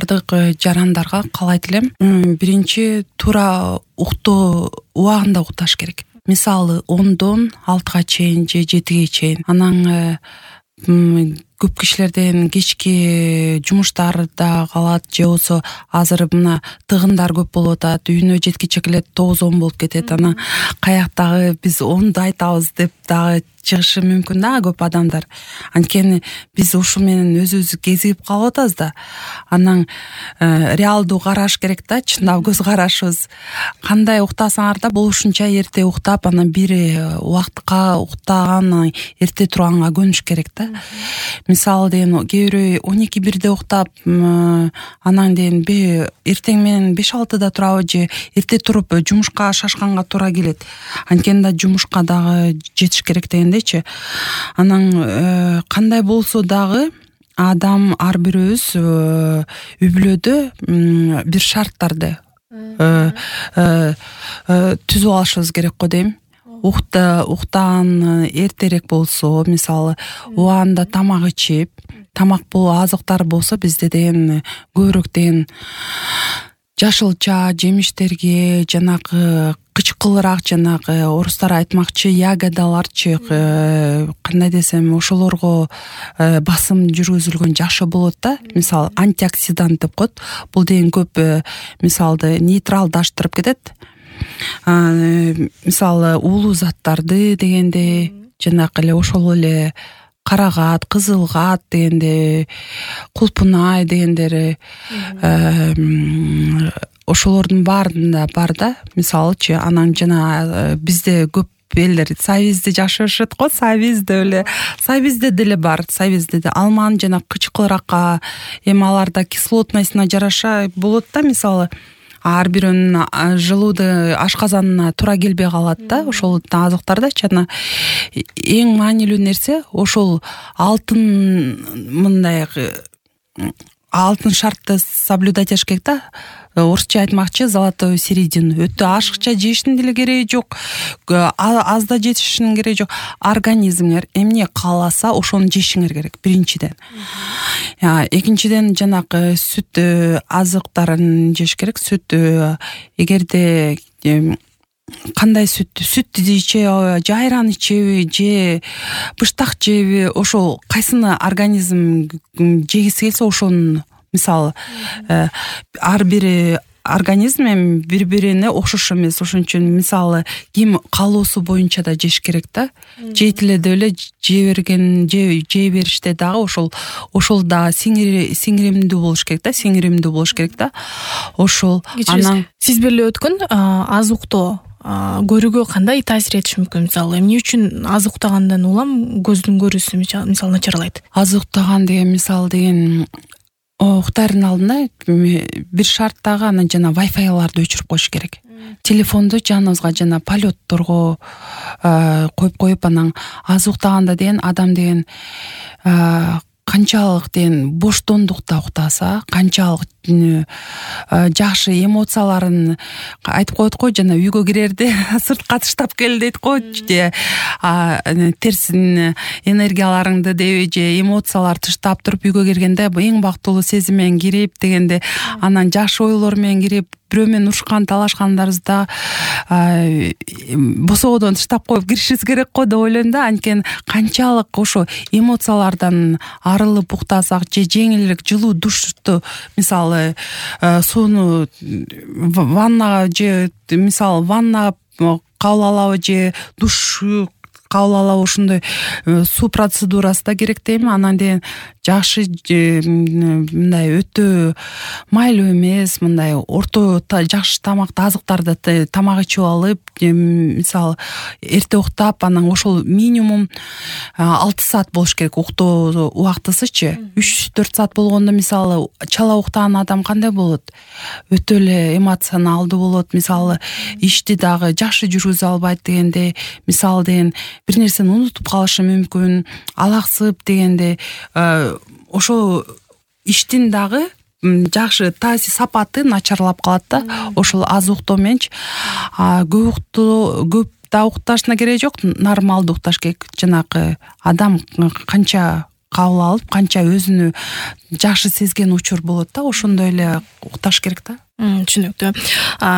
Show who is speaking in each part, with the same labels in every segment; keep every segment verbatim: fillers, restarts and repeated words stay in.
Speaker 1: бардык жарандарга каалайт элем, биринчи туура уктоо убагында укташ керек. Мисалы ондон алтыга чейин же жетиге чейин. Анан көп кишилерден кечки жумуштарда калат же болбосо азыр мына тыгындар көп болуп атат, үйүнө жеткиче келет тогуз он болуп кетет. Анан каяктагы биз онду айтабыз деп дагы чыгышы мүмкүн да көп адамдар. Анткени биз ушу менен өзүбүздү кезигип калып атабыз да. Анан э, реалдуу караш керек да, чындап көз карашыбыз. Кандай уктасаңар да болушунча эрте уктап, анан бир убакытка уктаган, эрте турганга көнүш керек да. Мисалы деген кээ бирөө он эки бирде уктап, анан деген эртең менен беш алтыда турабы же эрте туруп жумушка шашканга туура келет. Анткени да жумушка дагы жетиш керек дегендечи. Анан кандай болсо дагы адам ар бирөөбүз үй бүлөдө бир шарттарды түзүп алышыбыз керек го дейм. Ухта уктаган эртерээк болсо, мисалы убагында тамак ичип, тамак боло азыктар болсо бизде деген көбүрөөк деген жашылча жемиштерге, жанагы кычкылыраак, жанагы орустар айтмакчы ягодаларчы, кандай десем, ошолорго басым жүргүзүлгөн жашы болот да. Мисалы антиоксидант деп коет. Бул деген көп мисалды нейтралдаштырып кетет. Мисалы уулуу заттарды дегенде, жанакы эле ошол эле карагат, кызылгат дегенде, кулпунай дегендери, ошолордун баарында бар да. Мисалычы, анан жана бизде көп элдер сабизди жакшы көрүшөт го, сабизде эле, сабизде деле бар, сабизде де алманын жана кычкылыракка, эми аларда кислотностуна жараша болот да. Мисалы ар бирөөнүн желудо ашказанына туура келбей калат да, ошол азыктардачы. Анан эң маанилүү нерсе ошол алтын, мындай алтын шартты соблюдать этиш керек да. Орусча айтмакчы золотую середину. Өтө ашыкча жештин деле кереги жок, аз да жетишинин кереги жок. Организмиңер эмне кааласа ошону жешиңер керек биринчиден. Экинчиден жанакы сүт азыктарын жеш керек. Сүт эгерде кандай сүт, сүт ичеби, же айран ичеби, же быштак жеби, ошол кайсыны организм жегиси келсе ошонун. Мисалы ар бир организм эми бири-бирине окшош эмес. Ошон үчүн мисалы ким каалоосу боюнча да жеш керек да. Жейт эле деп эле жей берген, жей бериште дагы ошол ошол да сиңиримдүү болуш керек да, сиңиримдүү болуш керек да. Ошол.
Speaker 2: Анан сиз беле өткөн аз уктоо көрүүгө кандай таасир этиши мүмкүн? Мисалы эмне үчүн аз уктагандан улам көздүн көрүүсү мисалы начарлайт?
Speaker 1: Аз уктаган деген мисалы деген уктаардын алдында бир шарттагы анан жана вайфайларды өчүрүп коюш керек. Телефонду жаныбызга жана полетторго коюп коюп, анан аз уктаганда деген адам деген канчалык деген боштондукта уктаса, канчалык жакшы эмоцияларын айтып коет го, жана үйгө кирерде сыртка таштап кел дейт го, же терс энергияларыңды деби же эмоциялар таштап туруп үйгө киргенде эң бактылуу сезим менен кирип дегенде, анан жакшы ойлор менен кирип, бирөө менен урушкан талашкандарыбызда босогодон таштап коюп киришибиз керек го деп ойлойм да. Анткени канчалык ошо эмоциялардан арылып уктасак, же жеңилирээк жылуу душту, мисалы сууну ваннага, же мисалы ваннага кабыл алабы, же душ кабыл алабы, ошондой суу процедурасы да керек дейм. Анан деген жакшы мындай өтө майлуу эмес, мындай орто жакшы тамакты, азыктарды тамак ичип алып, мисалы эрте уктап, анан ошол минимум алты саат болуш керек уктоо убактысычы. үч төрт саат болгондо мисалы чала уктаган адам кандай болот? Өтө эле эмоционалдуу болот. Мисалы ишти дагы жакшы жүргүзө албайт дегенде, мисалы деген бир нерсени унутуп калышы мүмкүн, алаксып дегенде, ошо иштин дагы жакшы таасир сапаты начарлап калат да. Ошол аз уктоо мененчи. Көп уктоо, көп да укташына кереги жок, нормалдуу укташ керек. Жанакы адам канча кабыл алып канча өзүнү жакшы сезген учур болот да, ошондой эле укташ керек да.
Speaker 2: Түшүнүктүү.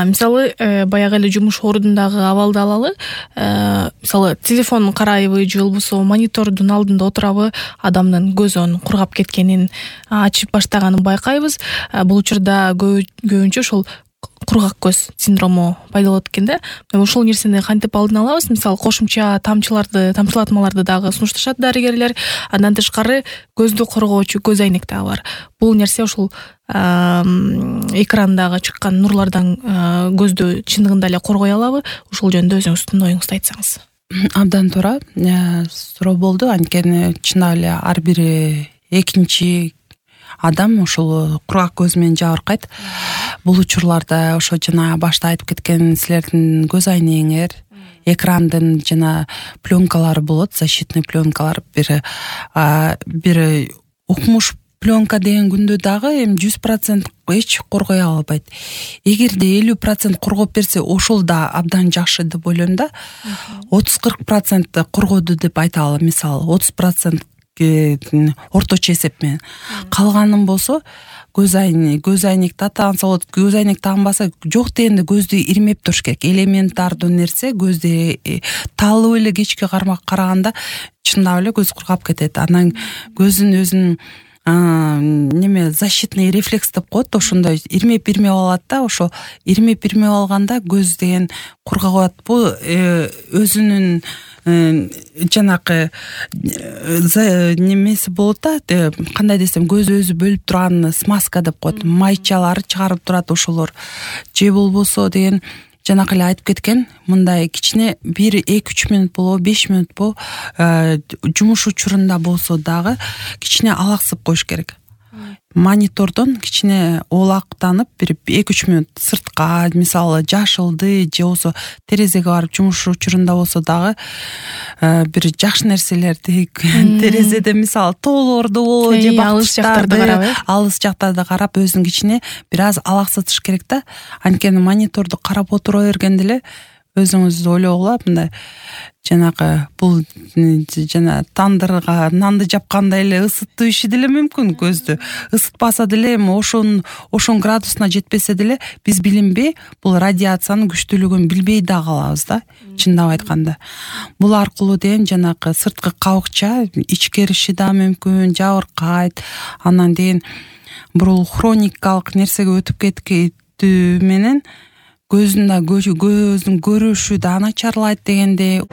Speaker 2: Мисалы баягы эле жумуш ордундагы абалды алалы. Мисалы телефон карайбы же болбосо монитордун алдында отурабы, адамдын көзүн кургап кеткенин, ачып баштаганын байкайбыз. Бул учурда көбүнчө ошол кургак көз синдрому пайда болот экен да. Ошол нерсени кантип алдын алабыз? Мисалы кошумча тамчыларды, тамчылатмаларды дагы сунушташат дарыгерлер. Андан тышкары көздү коргоочу көз айнек дагы бар. Бул нерсе ошол экрандагы чыккан нурлардан көздү чындыгында эле коргой алабы? Ошол жөнүндө өзүңүздүн оюңузду айтсаңыз.
Speaker 1: Абдан туура суроо болду. Анткени чындап эле ар бир экинчи адам ошол кургак көз менен жабыркайт. Бул учурларда ошо жана башта айтып кеткен силердин көз айнегиңер, экрандын жана пленкалары болот, защитный пленкалар, бир бир укмуш пленка деген күндө дагы эми жүз процент эч коргой албайт. Эгерде элүү процент коргоп берсе, ошол да абдан жакшы деп ойлойм да. отуз кырк процент коргоду деп айта алам. Мисалы отуз процент орточо эсеп менен. Калганын болсо көз айнек, көз айнекти таанса болот. Көз айнек таанбаса, жок дегенде көздү ирмеп туруш керек. Элементардуу нерсе көздү таалып эле кечке караганда чындап эле көз кургап кетет. Анан көздүн өзүнүн неме защитный рефлекс деп коет, ошондой ирмеп ирмеп алат да. Ошо ирмеп ирмеп алганда көз деген кургап, бул өзүнүн жанакы немеси болот да, кандай десем, көз өзү бөлүп турган смазка деп коет, майчалары чыгарып турат ошолор. Же болбосо деген жанакы эле айтып кеткен, мындай кичине бир эки үч мүнөт болобу, беш мүнөт болобу, жумуш учурунда болсо дагы кичине алаксып коюш керек. Монитордон кичине оолактанып, бир эки үч мүнөт сыртка, мисалы жашылды же болсо терезеге барып жумуш учурунда болсо дагы бир жакшы нерселерди терезеде, мисалы тоолорду болобу же алыс жактарды карап, алыс жактарды карап өзүн кичине бир аз алаксытыш керек да. Анткени мониторду карап отура бергенде эле өзүңүз ойлогула, мындай жанакы бул жана тандырга нанды жапкандай эле ысыттуу иши деле мүмкүн көздү. Ысытпаса деле, эми ошон ошон градусуна жетпесе деле биз билинбей бул радиациянын күчтүүлүгүн билбей да калабыз да, чындап айтканда. Бул аркылуу деген жанакы сырткы кабыкча ичкериши да мүмкүн, жабыркайт. Анан деген бул хроникалык нерсеге өтүп кеткендүү менен көздүн да көздүн көрүшү да начарлайт дегенде.